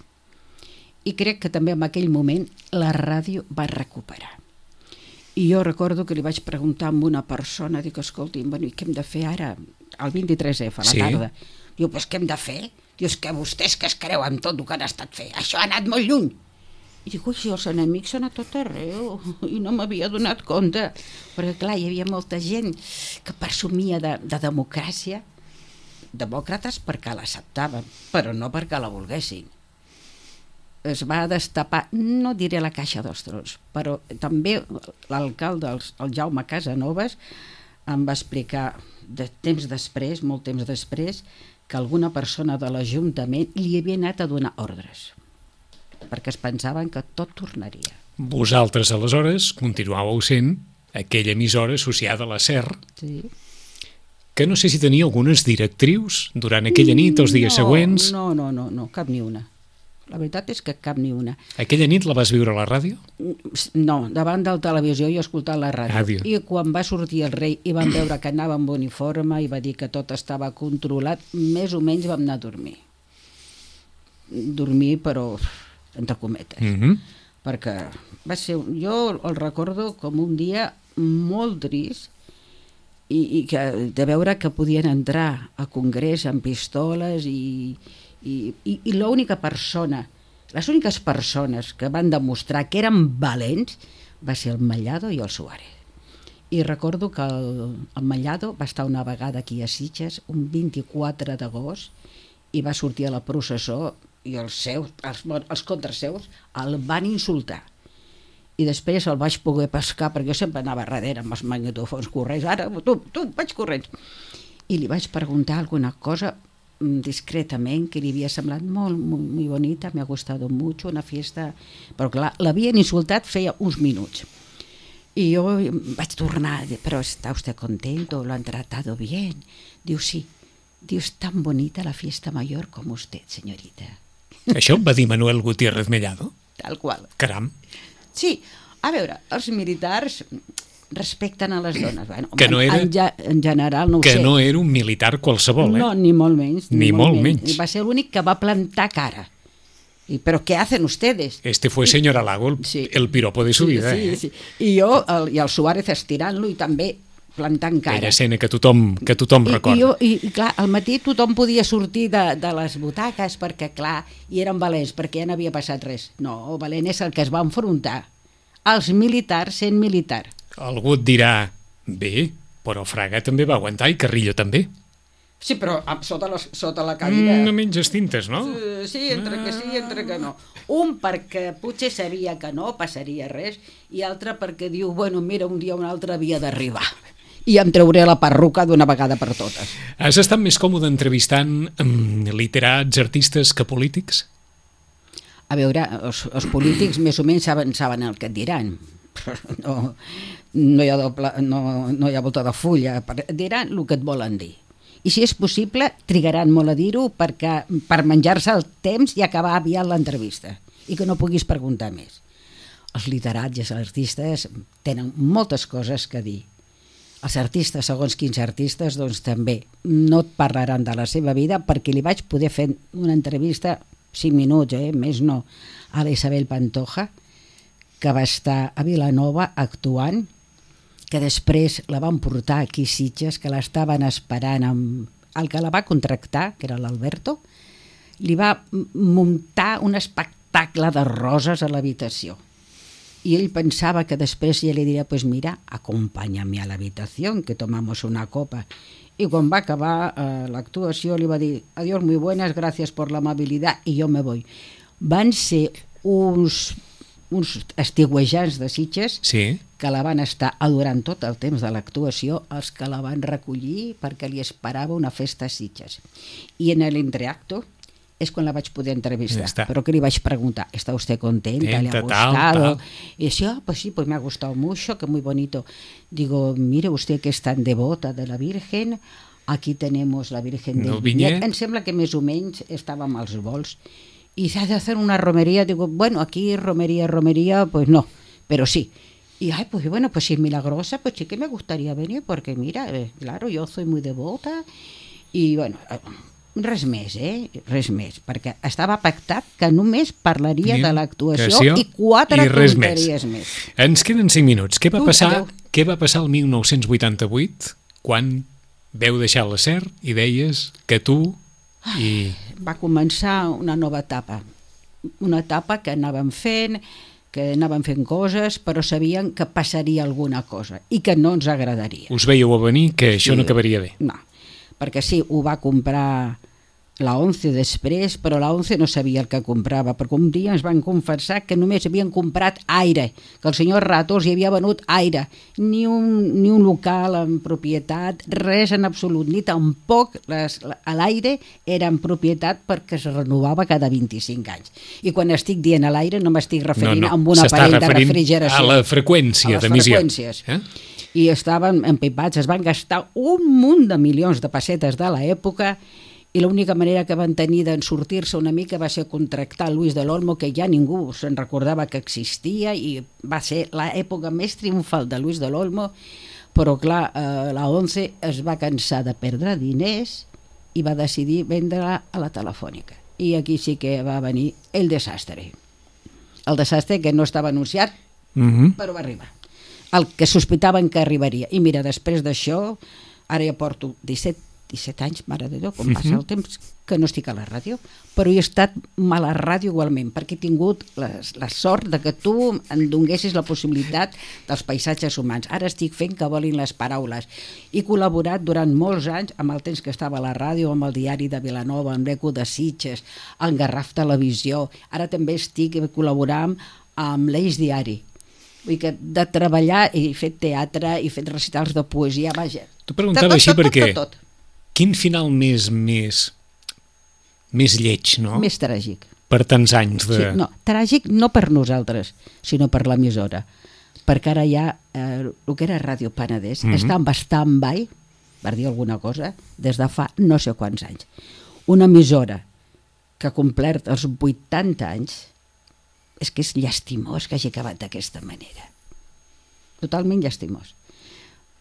B: I crec que també en aquell moment la ràdio va recuperar. I jo recordo que li vaig preguntar a una persona, dic, escolti, bueno, i què hem de fer ara, el vint-i-tres efa, a la sí. tarda? Diu, pues què hem de fer? Dius que vostès que es creuen tot el que han estat fent, això ha anat molt lluny. I dic, ui, els enemics són a tot arreu, i no m'havia donat compte, perquè clar, hi havia molta gent que presumia de, de democràcia, demòcrates perquè l'acceptaven, però no perquè la volguessin. Es va destapar, no diré la caixa dels trons, però també l'alcalde, el Jaume Casanovas, em va explicar de temps després, molt temps després, que alguna persona de l'Ajuntament li havia anat a donar ordres, perquè es pensaven que tot tornaria.
A: Vosaltres, aleshores, continuàveu sent aquella emissora associada a la S E R,
B: sí.
A: que no sé si tenia algunes directrius durant aquella nit, els dies
B: no,
A: següents...
B: No, no, no, no, cap ni una. La veritat és que cap ni una.
A: Aquella nit la vas viure a la ràdio?
B: No, davant del televisió i escoltant la ràdio.
A: Ràdio.
B: I quan va sortir el rei i vam veure que anava amb uniforme i va dir que tot estava controlat, més o menys vam anar a dormir. Dormir, però entre cometes.
A: Mm-hmm.
B: Perquè va ser, jo el recordo com un dia molt trist i, i que, de veure que podien entrar a Congrés amb pistoles i, i, i, i l'única persona, les úniques persones que van demostrar que eren valents va ser el Mellado i el Suárez. I recordo que el, el Mellado va estar una vegada aquí a Sitges, un vint-i-quatre d'agost, i va sortir a la processó i els seus, els, els contraseus el van insultar. I després el vaig poder pescar, perquè jo sempre anava darrere amb els magnetòfons corrents, ara, tu, tu, vaig corrents. I li vaig preguntar alguna cosa discretament que li havia semblat molt, molt, molt bonita, me ha gustat mucho, una fiesta... Però clar, l'havien insultat feia uns minuts. I jo vaig tornar, però ¿está usted contento? ¿Lo han tratado bien? Diu, sí. Diu, es tan bonita la fiesta mayor como usted, señorita.
A: Això va dir Manuel Gutiérrez Mellado?
B: Tal qual.
A: Caram.
B: Sí, a veure, els militars respecten a les dones. Bueno,
A: que no era,
B: en, en general no ho
A: que
B: sé.
A: Que no era un militar qualsevol, eh?
B: No, ni molt menys.
A: Ni, ni molt menys. menys.
B: Va ser l'únic que va plantar cara. I, però què hacen ustedes?
A: Este fue señor Alago, el, sí. el piropo de su
B: sí,
A: vida.
B: Sí,
A: eh?
B: sí. I jo, el, i el Suárez estirant-lo i també plantant cara.
A: Aquella escena que tothom, que tothom
B: I,
A: recorda.
B: I, jo, i, I clar, al matí tothom podia sortir de, de les butaques perquè, clar, i eren valents, perquè ja n'havia passat res. No, valent és el que es va enfrontar. Els militars sent militar.
A: Algú et dirà, bé, però Fraga també va aguantar i Carrillo també.
B: Sí, però sota la, sota la cadira...
A: Mm, no menges tintes, no?
B: Sí, entre que sí i entre que no. Un perquè potser sabia que no passaria res i altre perquè diu, bueno, mira, un dia o un altre havia d'arribar i em trauré la perruca d'una vegada per totes.
A: Has estat més còmode entrevistant um, literats, artistes que polítics?
B: A veure, els, els polítics més o menys saben, saben el que et diran. No, no, hi ha doble, no, no hi ha volta de fulla. Diran el que et volen dir. I si és possible, trigaran molt a dir-ho perquè per menjar-se el temps i acabar aviat l'entrevista i que no puguis preguntar més. Els literats i els artistes tenen moltes coses que dir. Els artistes, segons quins artistes, doncs també no et parlaran de la seva vida perquè li vaig poder fer una entrevista cinc minuts, eh? Més no, a la Isabel Pantoja, que va estar a Vilanova actuant, que després la van portar aquí a Sitges, que l'estaven esperant amb el que la va contractar, que era l'Alberto, li va muntar un espectacle de roses a l'habitació. I ell pensava que després ja li diria, pues mira, acompáñame a la habitación, que tomamos una copa. Y quan va acabar eh, l'actuació li va dir, adiós, muy buenas, gracias por la amabilidad, y yo me voy. Van ser uns, uns estiuejants de Sitges
A: sí.
B: que la van estar adorant tot el temps de l'actuació, els que la van recollir perquè li esperava una festa a Sitges. I en l'entreacto és quan la vaig poder entrevistar,
A: ja
B: pero que li vaig preguntar, ¿está usted contenta?
A: Tenta,
B: ¿Le ha gustado? Tal, tal. Y decía, ah, pues sí, pues me ha gustado mucho, que muy bonito. Digo, mire usted que es tan devota de la Virgen, aquí tenemos la Virgen del Viñet. Em sembla que més o menys estàvem als vols. Y se ha de hacer una romería, digo, bueno, aquí romería, romería, pues no, pero sí. Y, ay, pues bueno, pues si es milagrosa, pues sí que me gustaría venir, porque mira, eh, claro, yo soy muy devota, y bueno... Res més, eh? Res més, perquè estava pactat que només parlaria de l'actuació i quatre tonteries més.
A: Ens queden cinc minuts. Què va passar, què va passar el mil nou-cents vuitanta-vuit quan veu deixar la S E R i deies que tu i...
B: Va començar una nova etapa. Una etapa que anàvem fent, que anàvem fent coses, però sabien que passaria alguna cosa i que no ens agradaria.
A: Us veieu a venir que això
B: sí,
A: no acabaria bé.
B: No, perquè sí, ho va comprar la ONCE després, però la ONCE no sabia el que comprava, perquè un dia ens van confessar que només havien comprat aire, que el senyor Ratos hi havia venut aire, ni un, ni un local en propietat, res en absolut, ni tampoc l'aire era en propietat perquè es renovava cada vint-i-cinc anys. I quan estic dient a l'aire no m'estic referint
A: no, no.
B: a un aparell de refrigeració.
A: A la freqüència d'emissió. A les
B: freqüències. Eh? I estaven empipats, es van gastar un munt de milions de pessetes de l'època i l'única manera que van tenir d'en sortir-se una mica va ser contractar Luis del Olmo, que ja ningú se'n recordava que existia, i va ser l'època més triomfal de Luis del Olmo, però clar, eh, la ONCE es va cansar de perdre diners i va decidir vendre-la a la Telefònica. I aquí sí que va venir el desastre. El desastre que no estava anunciat, uh-huh. però va arribar. El que sospitaven que arribaria. I mira, després d'això, ara ja porto disset, disset anys, mare de Déu, com passa el temps, que no estic a la ràdio, però he estat mal a la ràdio igualment, perquè he tingut la, la sort de que tu em donessis la possibilitat dels paisatges humans. Ara estic fent que volin les paraules. He col·laborat durant molts anys amb el temps que estava a la ràdio, amb el Diari de Vilanova, amb l'Eco de Sitges, amb Garraf Televisió. Ara també estic col·laborant amb l'Eix Diari. Vull dir que de treballar, he fet teatre, he fet recitals de poesia, vaja.
A: T'ho preguntava tot, tot, així tot, perquè... Tot, tot, tot. Quin final més, més, més lleig, no?
B: Més tràgic.
A: Per tants anys de...
B: Sí, no, tràgic no per nosaltres, sinó per l'emissora. Perquè ara ja, eh, el que era Ràdio Penedès, mm-hmm. està en stand-by, per dir alguna cosa, des de fa no sé quants anys. Una emissora que ha complert els vuitanta anys, és que és llastimós que hagi acabat d'aquesta manera. Totalment llastimós.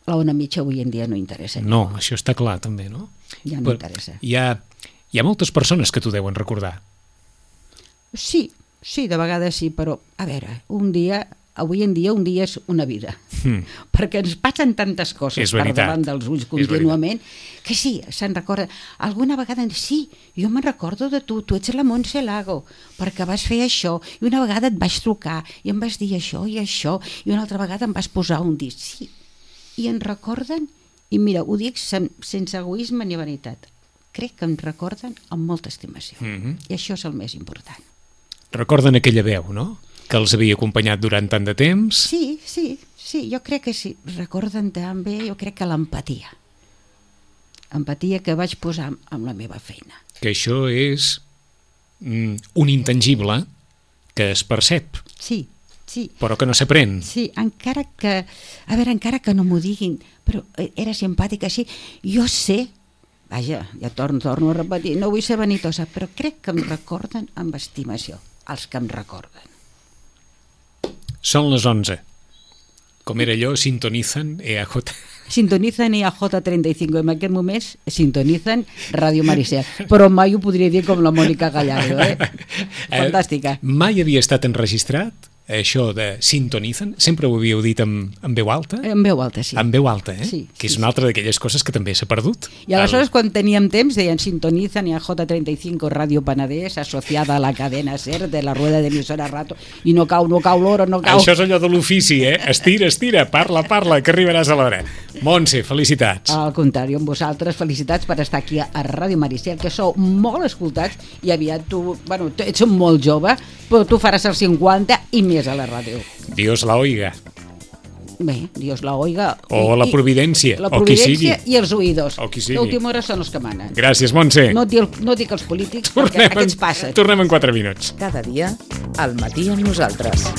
B: La ona mitja avui en dia no interessa.
A: No, això està clar també, no?
B: Ja no Però interessa.
A: Hi ha, hi ha moltes persones que t'ho deuen recordar.
B: Sí, sí, de vegades sí, però a veure, un dia, avui en dia un dia és una vida, mm. perquè ens passen tantes coses per davant dels ulls contínuament, que sí, se'n recorda. Alguna vegada, sí, jo me'n recordo de tu, tu ets la Montse Lago, perquè vas fer això, i una vegada et vaig trucar, i em vas dir això i això, i una altra vegada em vas posar un disc, sí, i en recorden, i mira, ho dic sen, sense egoisme ni vanitat, crec que em recorden amb molta estimació, mm-hmm. i això és el més important.
A: Recorden aquella veu, no?, que els havia acompanyat durant tant de temps?
B: Sí, sí, sí, jo crec que sí, recorden també, jo crec que l'empatia, empatia que vaig posar amb la meva feina.
A: Que això és mm, un intangible que es percep.
B: Sí, sí.
A: Però que no s'aprèn.
B: Sí, encara que, a veure, encara que no m'ho diguin, però era simpàtica, sí, jo sé, vaja, ja torno, torno a repetir, no vull ser vanitosa, però crec que em recorden amb estimació, els que em recorden.
A: Són les onze. Com era allò, sintonizan E A J.
B: Sintonizan E A J trenta i cinc, en aquest moment sintonizan Ràdio Maricel, però mai ho podria dir com la Mònica Gallardo, eh? Fantàstica.
A: Eh, mai havia estat enregistrat això de sintonizan? Sempre ho havíeu dit amb, amb veu alta?
B: En veu alta, sí.
A: En veu alta, eh?
B: Sí,
A: que és
B: sí,
A: una altra d'aquelles coses que també s'ha perdut.
B: I aleshores, el... quan teníem temps, deien sintonizan E A J trenta i cinc Ràdio Penedès, associada a la cadena SER de la rueda d'emissora Rato, i no cau, no cau l'hora, no cau...
A: Això és allò de l'ofici, eh? Estira, estira, parla, parla, que arribaràs a l'hora. Montse, felicitats.
B: Al contrari, amb vosaltres, felicitats per estar aquí a Ràdio Maricel, que sou molt escoltats, i aviat tu, bueno, ets molt jove, però tu faràs els cinquanta i més a la ràdio.
A: Dios la oiga.
B: Bé, Dios la oiga.
A: O la providència,
B: la
A: o qui sigui.
B: La providència i els oïdors.
A: O qui sigui.
B: L'última hora són els que manen.
A: Gràcies, Montse.
B: No dic, no dic els polítics,
A: tornem
B: perquè aquests passen.
A: Tornem en quatre minuts.
C: Cada dia, al matí amb nosaltres.